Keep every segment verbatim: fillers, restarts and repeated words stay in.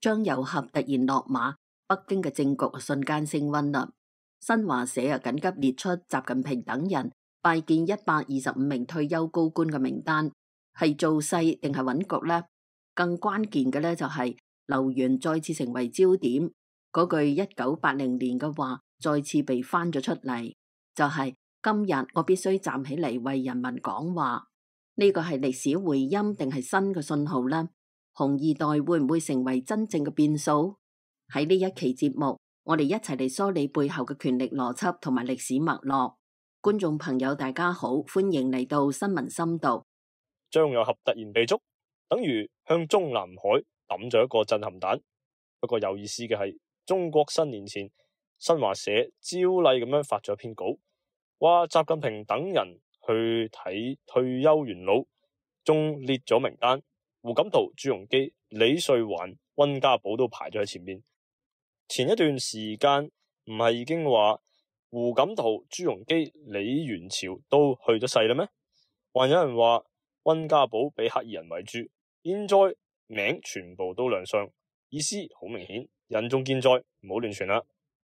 張又俠突然落馬，北京嘅政局瞬間升溫啦。新華社啊緊急列出習近平等人拜見一百二十五名退休高官嘅名單，係造勢定係穩局呢？更關鍵嘅呢，就係流言再次成為焦點，嗰句一九八零年嘅話再次被翻咗出嚟，就係今日我必須站起嚟為人民講話。呢個係歷史回音定係新嘅信號呢？紅二代會唔會成為真正嘅變數？喺呢一期節目，我哋一齊嚟梳理背後嘅權力邏輯同埋歷史脈絡。觀眾朋友大家好，歡迎嚟到新聞深度。張又俠突然被捉，等於向中南海抌咗一個震撼彈。不過有意思嘅係，中國新年前新華社照例咁樣發咗篇稿，話習近平等人去睇退休元老，仲列咗名單，胡錦濤、朱鎔基、李瑞環、溫家寶都排咗喺前面。前一段時間唔係已經話胡錦濤、朱鎔基、李元朝都去咗世啦咩？還有人話溫家寶俾黑衣人圍住，現在名全部都亮相，意思好明顯，人仲健在，唔好亂傳啦。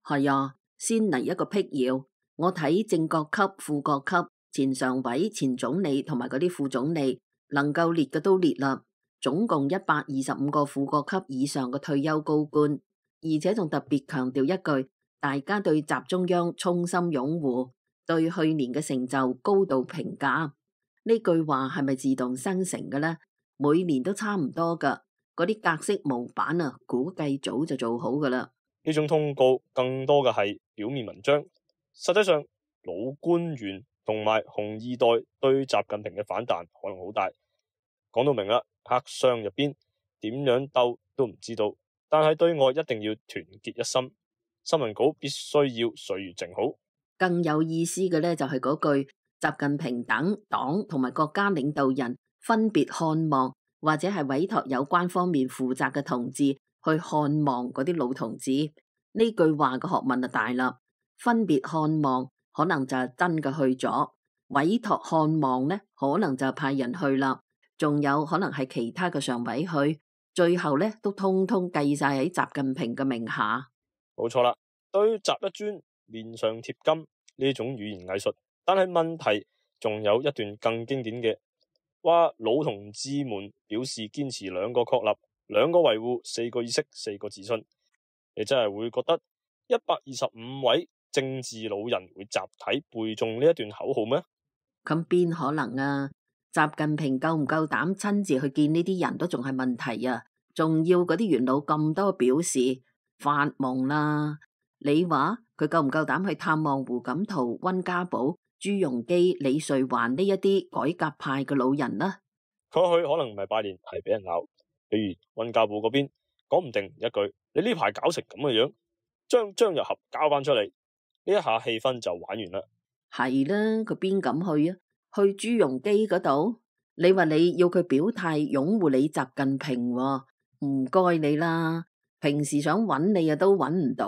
係啊，先嚟一個闢謠，我睇正國級、副國級、前常委、前總理同埋嗰啲副總理，能夠列嘅都列啦，總共一百二十五個副國級以上嘅退休高官。而且仲特別強調一句，大家對習中央衷心擁護，對去年嘅成就高度評價。呢句話係咪自動生成嘅呢？每年都差唔多噶，嗰啲格式模板啊，估計早就做好噶啦。呢種通告更多嘅係表面文章，實際上老官員同埋紅二代對習近平嘅反彈可能好大。講到明啦，黑箱入邊點樣鬥都唔知道。但係對外一定要團結一心，新聞稿必須要水如靜好。更有意思嘅呢，就係嗰句習近平等黨同埋國家領導人分別看望，或者係委託有關方面負責嘅同志去看望嗰啲老同志。呢句話嘅學問就大啦，分別看望可能就係真嘅去咗，委託看望呢可能就係派人去啦，仲有可能係其他嘅常委去。最後咧都通通計晒喺習近平嘅名下。冇錯啦，對習一尊面上貼金呢種語言藝術，但係問題仲有一段更經典嘅，話老同志們表示堅持兩個確立、兩個維護、四個意識、四個自信。你真係會覺得一百二十五位政治老人會集體背誦呢一段口號咩？咁邊可能啊？習近平夠唔夠膽親自去見呢啲人都仲係問題啊！仲要嗰啲元老咁多表示，發夢啦！你話佢夠唔夠膽去探望胡錦濤、溫家寶、朱鎔基、李瑞環呢一啲改革派嘅老人呢？佢去可能唔係拜年，係俾人鬧。比如溫家寶嗰邊，講唔定一句你呢排搞成咁嘅樣，將張又俠交翻出嚟，呢一下氣氛就玩完啦。係啦，佢邊敢去啊？去朱鎔基嗰度，你話你要佢表態擁護你習近平喎，唔該你啦。平時想揾你啊都揾唔到，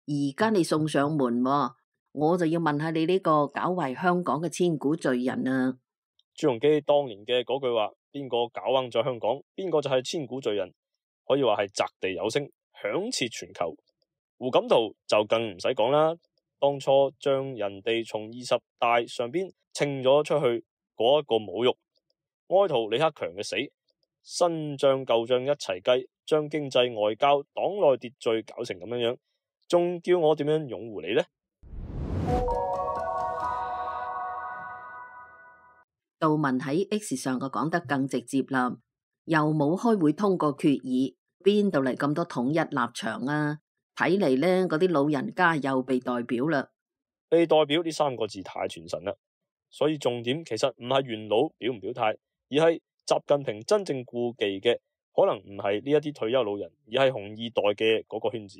而家你送上門喎，我就要問下你呢個搞壞香港嘅千古罪人啊！朱鎔基當年嘅嗰句話，邊個搞彎咗香港，邊個就係千古罪人，可以話係擲地有聲，響徹全球。胡錦濤就更唔使講啦，當初將人哋從二十大上邊稱咗出去嗰一個侮辱，哀悼李克強嘅死，新賬舊賬一齊計，將經濟外交黨內秩序搞成咁樣樣，仲叫我點樣擁護你呢？杜文喺 X 上個講得更直接啦，又冇開會通過決議，邊度嚟咁多統一立場啊？睇嚟呢，嗰啲老人家又被代表啦。被代表呢三個字太傳神啦，所以重點其實唔係元老表唔表態，而係習近平真正顧忌嘅可能唔係呢一啲退休老人，而係紅二代嘅嗰個圈子。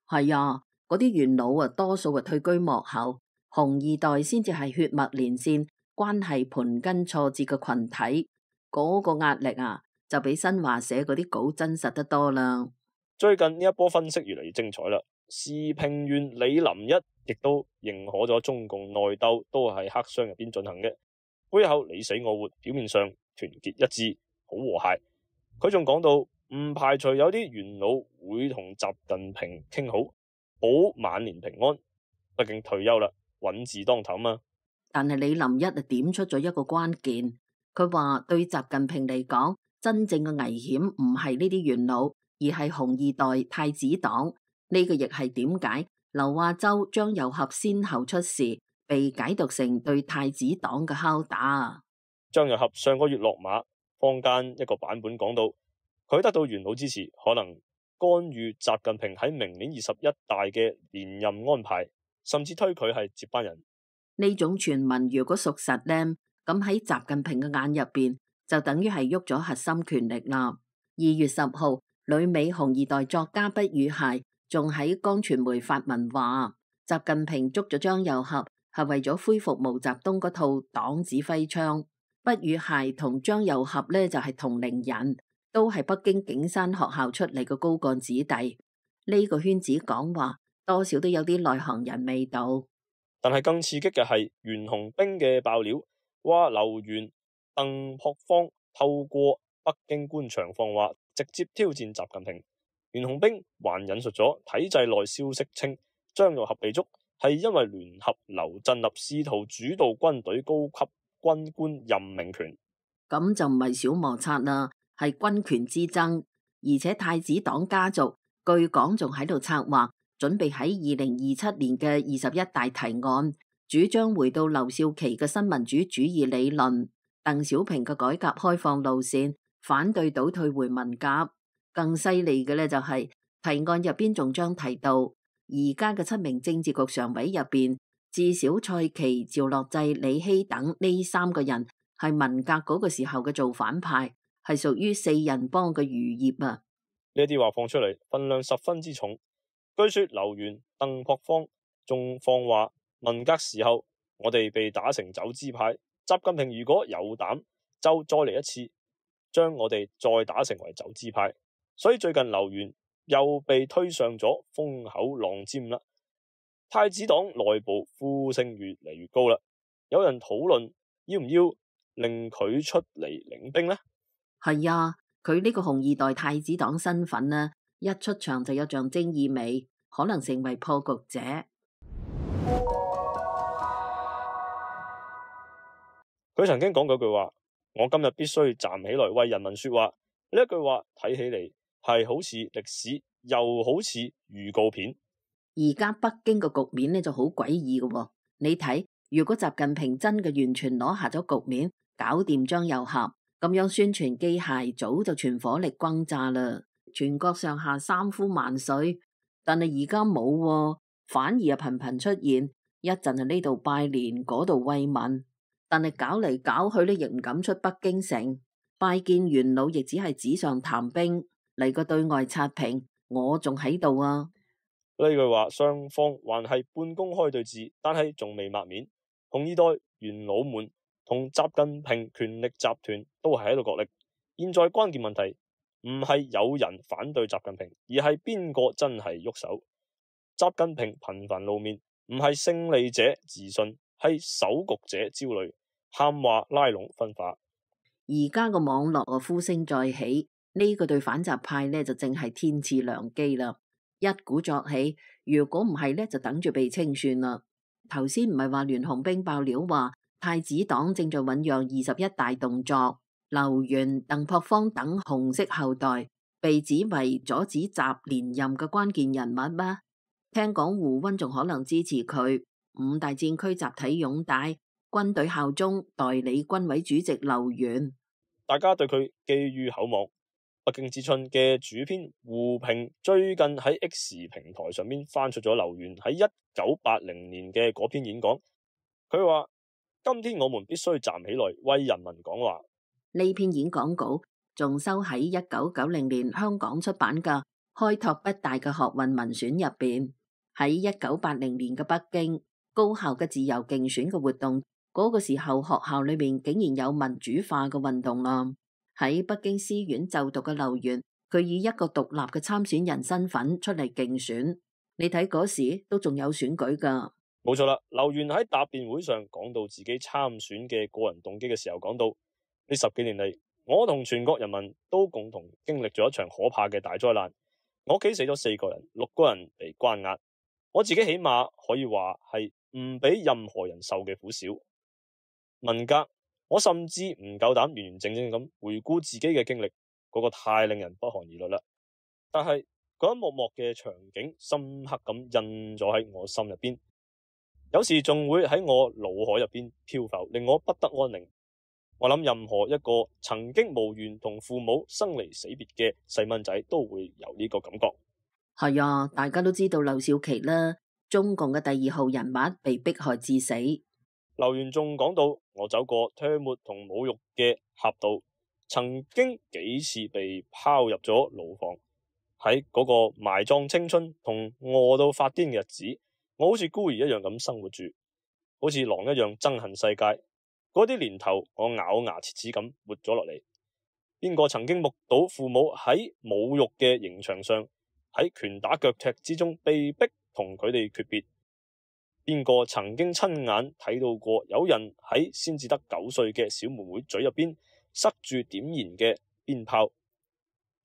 係啊，嗰啲元老啊，多數啊退居幕後，紅二代先至係血脈連線、關係盤根錯節嘅群體，嗰個壓力啊，就比新華社嗰啲稿真實得多啦。最近呢一波分析越嚟越精彩啦，時評員李林一亦都認可咗中共內鬥都係黑箱入邊進行嘅，背後你死我活，表面上團結一致，好和諧。佢仲講到唔排除有啲元老會同習近平傾好，保晚年平安。畢竟退休啦，穩字當頭嘛。但係李林一啊點出咗一個關鍵，佢話對習近平嚟講，真正嘅危險唔係呢啲元老，而係紅二代太子黨。呢個亦係點解劉亞洲、張又俠先後出事，被解讀成對太子黨嘅敲打。張又俠上個月落馬，坊間一個版本講到，佢得到元老支持，可能干預習近平喺明年二十一大嘅連任安排，甚至推佢係接班人。呢種傳聞如果屬實呢，咁喺習近平嘅眼入邊就等於係喐咗核心權力啦。二月十號，旅美紅二代作家畢宇械仲喺江傳媒發文話，習近平捉咗張又俠係為咗恢復毛澤東嗰套黨指揮槍。畢宇械同張又俠呢就係同齡人，都係北京景山學校出嚟嘅高幹子弟。呢、這個圈子講話多少都有啲內行人味道。但係更刺激嘅係袁洪兵嘅爆料，話劉源、鄧樸方透過北京官場放話，直接挑戰習近平。袁洪兵還引述咗體制內消息稱，張又俠被捉係因為聯合劉振立試圖主導軍隊高級軍官任命權。咁就唔係小摩擦啦，係軍權之爭，而且太子黨家族據講仲喺度策劃，準備喺二零二七年嘅二十一大提案，主張回到劉少奇嘅新民主主義理論，鄧小平嘅改革開放路線，反對倒退回文革。更犀利嘅呢，就係提案入邊仲將提到，而家嘅七名政治局常委入邊，至少蔡奇、趙樂際、李希等呢三個人係文革嗰個時候嘅造反派，係屬於四人幫嘅餘孽啊！呢啲話放出嚟，分量十分之重。據說劉源、鄧樸方仲放話，文革時候我哋被打成走資派，習近平如果有膽就再嚟一次，將我哋再打成為走資派。所以最近劉源又被推上咗風口浪尖啦。太子黨內部呼聲越嚟越高啦，有人討論要唔要令佢出嚟領兵呢？係啊，佢呢個紅二代太子黨身份呢，一出場就有象徵意味，可能成為破局者。佢曾經講過句話：我今日必須站起來為人民說話。呢一句話睇起嚟係好似歷史，又好似預告片。而家北京嘅局面呢就好詭異嘅喎，你睇，如果習近平真嘅完全攞下咗局面，搞掂張又俠，咁樣宣傳機械早就全火力轟炸啦，全國上下三呼萬歲。但係而家冇喎，反而啊頻頻出現，一陣係呢度拜年，嗰度慰問，但係搞嚟搞去呢，亦唔敢出北京城，拜見元老亦只係紙上談兵，嚟個對外刷屏，我仲喺度啊！呢句話雙方還係半公開對峙，但係仲未抹面。紅二代元老們同習近平權力集團都係喺度角力。現在關鍵問題唔係有人反對習近平，而係邊個真係喐手。習近平頻繁露面，唔係勝利者自信，係守局者焦慮，喊話拉攏分化。而家個網絡啊呼聲再起，呢、這個對反習派呢就正係天賜良機啦。一鼓作氣，如果唔係呢，就等住被清算啦。頭先唔係話袁洪兵爆料話太子黨正在醞釀二十一大動作，劉源、鄧樸方等紅色後代被指為阻止習連任嘅關鍵人物咩？聽講胡溫仲可能支持佢。五大戰區集體擁戴，軍隊效忠代理軍委主席劉源。大家對佢寄予厚望。北京之春嘅主編胡平最近喺 X 平台上面翻出咗劉源喺一九八零年嘅嗰篇演講，佢話：今天我們必須站起來為人民講話。呢篇演講稿仲收喺一九九零年香港出版嘅《開拓北大嘅學運文選》入邊。喺一九八零年嘅北京，高校嘅自由競選嘅活動，嗰、那個時候學校裏面竟然有民主化嘅運動啦。喺北京師院就讀嘅劉源，佢以一個獨立嘅參選人身份出嚟競選。你睇嗰時都仲有選舉噶。冇錯啦，劉源喺答辯會上講到自己參選嘅個人動機嘅時候，講到呢十幾年嚟，我同全國人民都共同經歷咗一場可怕嘅大災難。我屋企死咗四個人，六個人被關押，我自己起碼可以話係唔比任何人受嘅苦少。文革，我甚至唔夠膽完完整整咁回顧自己嘅經歷，嗰個太令人不寒而慄啦。但係嗰一幕幕嘅場景深刻咁印咗喺我心入邊，有時仲會喺我腦海入邊漂浮，令我不得安寧。我諗任何一個曾經無緣同父母生離死別嘅細蚊仔都會有呢個感覺。係啊，大家都知道劉少奇啦，中共嘅第二號人物被迫害致死。劉源仲講到，我走過唾沫同侮辱嘅峽道，曾經幾次被拋入咗牢房，喺嗰個埋葬青春同餓到發癲嘅日子，我好似孤兒一樣咁生活住，好似狼一樣憎恨世界。嗰啲年頭，我咬牙切齒咁活咗落嚟。邊個曾經目睹父母喺侮辱嘅刑場上，喺拳打腳踢之中被逼同佢哋訣別？邊個曾經親眼睇到過有人喺先至得九歲嘅小妹妹嘴入邊塞住點燃嘅鞭炮？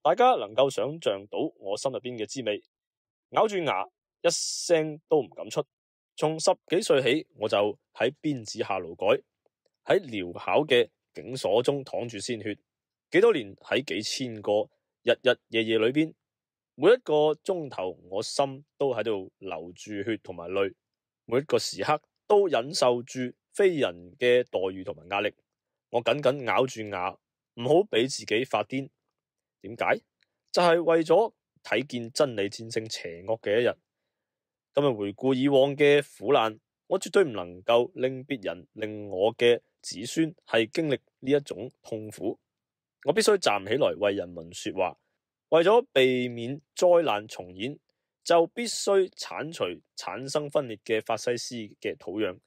大家能夠想象到我心入邊嘅滋味，咬住牙一聲都唔敢出。從十幾歲起，我就喺鞭子下勞改，喺鐐巧嘅警所中淌住鮮血，幾多年喺幾千個日日夜夜裏邊，每一個鐘頭我心都喺度流住血同埋淚，每一個時刻都忍受住非人嘅待遇同埋壓力。我緊緊咬住牙，唔好俾自己發癲。點解？就係為咗睇見真理戰勝邪惡嘅一日。今日回顧以往嘅苦難，我絕對唔能夠令別人、令我嘅子孫係經歷呢一種痛苦。我必須站起來為人民說話，為咗避免災難重演，就必須鏟除產生分裂嘅法西斯嘅土壤，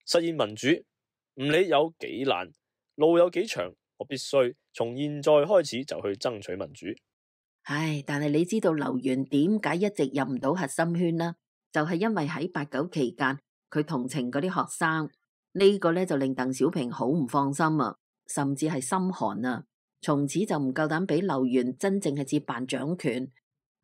實現民主。唔理有幾難，路有幾長，我必須從現在開始就去爭取民主。唉，但係你知道劉源點解一直入唔到核心圈啦？就係因為喺八九期間，佢同情嗰啲學生，呢個呢就令鄧小平好唔放心啊，甚至係心寒啊。從此就唔夠膽俾劉源真正係接辦掌權。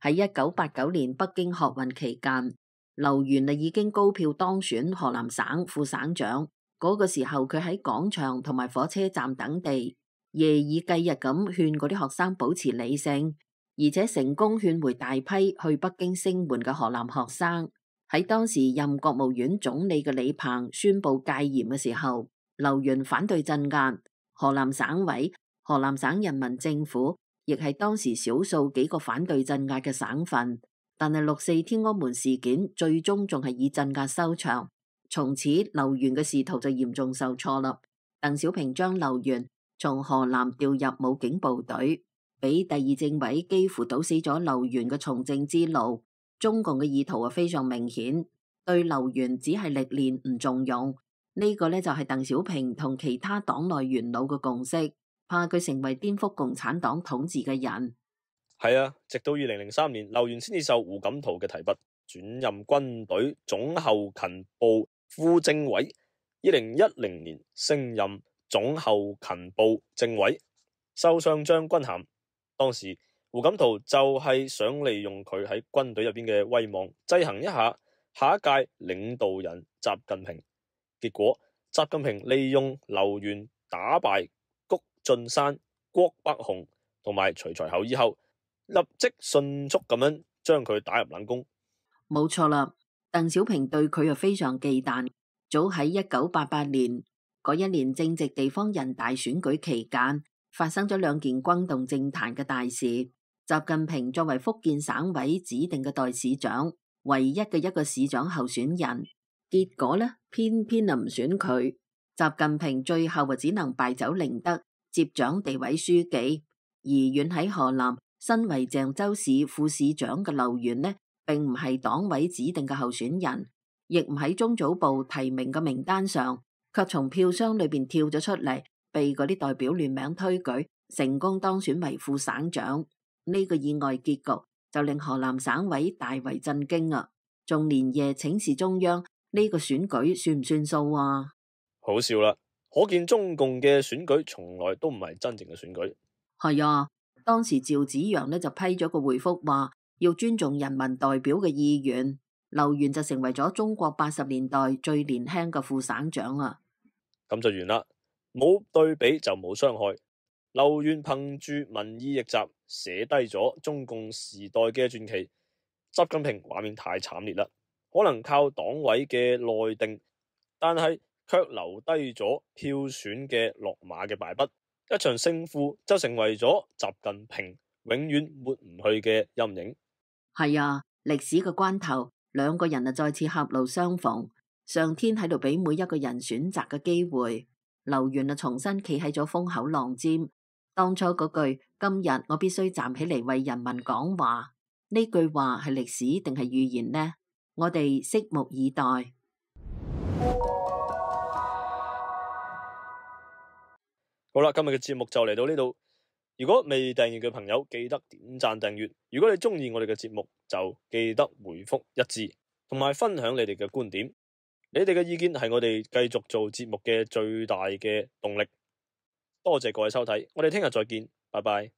喺一九八九年北京學運期間，劉源啊已經高票當選河南省副省長。嗰個時候佢喺廣場同埋火車站等地，夜以繼日咁勸嗰啲學生保持理性，而且成功勸回大批去北京聲援嘅河南學生。喺當時任國務院總理嘅李鵬宣布戒嚴嘅時候，劉源反對鎮壓。河南省委、河南省人民政府亦係當時少數幾個反對鎮壓嘅省份。但係六四天安門事件最終仲係以鎮壓收場，從此劉源嘅仕途就嚴重受挫啦。鄧小平將劉源從河南調入武警部隊，俾第二政委幾乎堵死咗劉源嘅從政之路。中共嘅意圖啊非常明顯，對劉源只係歷練唔重用。呢個呢，就係鄧小平同其他黨內元老嘅共識，怕佢成為顛覆共產黨統治嘅人。係啊，直到二零零三年，劉源先至受胡錦濤嘅提拔，轉任軍隊總後勤部副政委。二零一零年升任總後勤部政委，收上將軍銜。當時胡錦濤就係想利用佢喺軍隊入邊嘅威望，制衡一下下一屆領導人習近平。結果習近平利用劉源打敗谷俊山、郭伯雄同埋徐才厚以後，立即迅速咁樣將佢打入冷宮。冇錯啦，鄧小平對佢又非常忌憚。早喺一九八八年嗰一年正值地方人大選舉期間，發生咗兩件轟動政壇嘅大事。習近平作為福建省委指定嘅代市長，唯一嘅一個市長候選人，結果呢，偏偏啊唔選佢。習近平最後啊只能敗走寧德，接掌地委書記。而遠喺河南，身為鄭州市副市長嘅劉源呢，並唔係黨委指定嘅候選人，亦唔喺中組部提名嘅名單上，卻從票箱裏邊跳咗出嚟，被嗰啲代表聯名推舉，成功當選為副省長。呢個意外結局就令河南省委大為震驚啊！仲連夜請示中央，呢個選舉算唔算數啊？好笑啦！可見中共嘅選舉從來都唔係真正嘅選舉。係啊，當時趙紫陽呢就批咗個回覆話要尊重人民代表嘅意願，劉源就成為咗中國八十年代最年輕嘅副省長啊。咁就完啦，冇對比就冇傷害。劉源憑住民意逆襲寫低咗中共時代嘅傳奇。習近平畫面太慘烈啦，可能靠黨委嘅內定，但係卻留低咗票選嘅落馬嘅敗筆，一場勝負就成為咗習近平永遠抹唔去嘅陰影。係啊，歷史嘅關頭，兩個人啊再次狹路相逢，上天喺度俾每一個人選擇嘅機會。劉源啊重新企喺咗風口浪尖，當初嗰句今日我必須站起嚟為人民講話，呢句話係歷史定係預言呢？我哋拭目以待。好啦，今日嘅節目就嚟到呢度。如果未訂閱嘅朋友，記得點讚訂閱。如果你中意我哋嘅節目，就記得回覆一致，同埋分享你哋嘅觀點。你哋嘅意見係我哋繼續做節目嘅最大嘅動力。多謝各位收睇，我哋聽日再見，拜拜。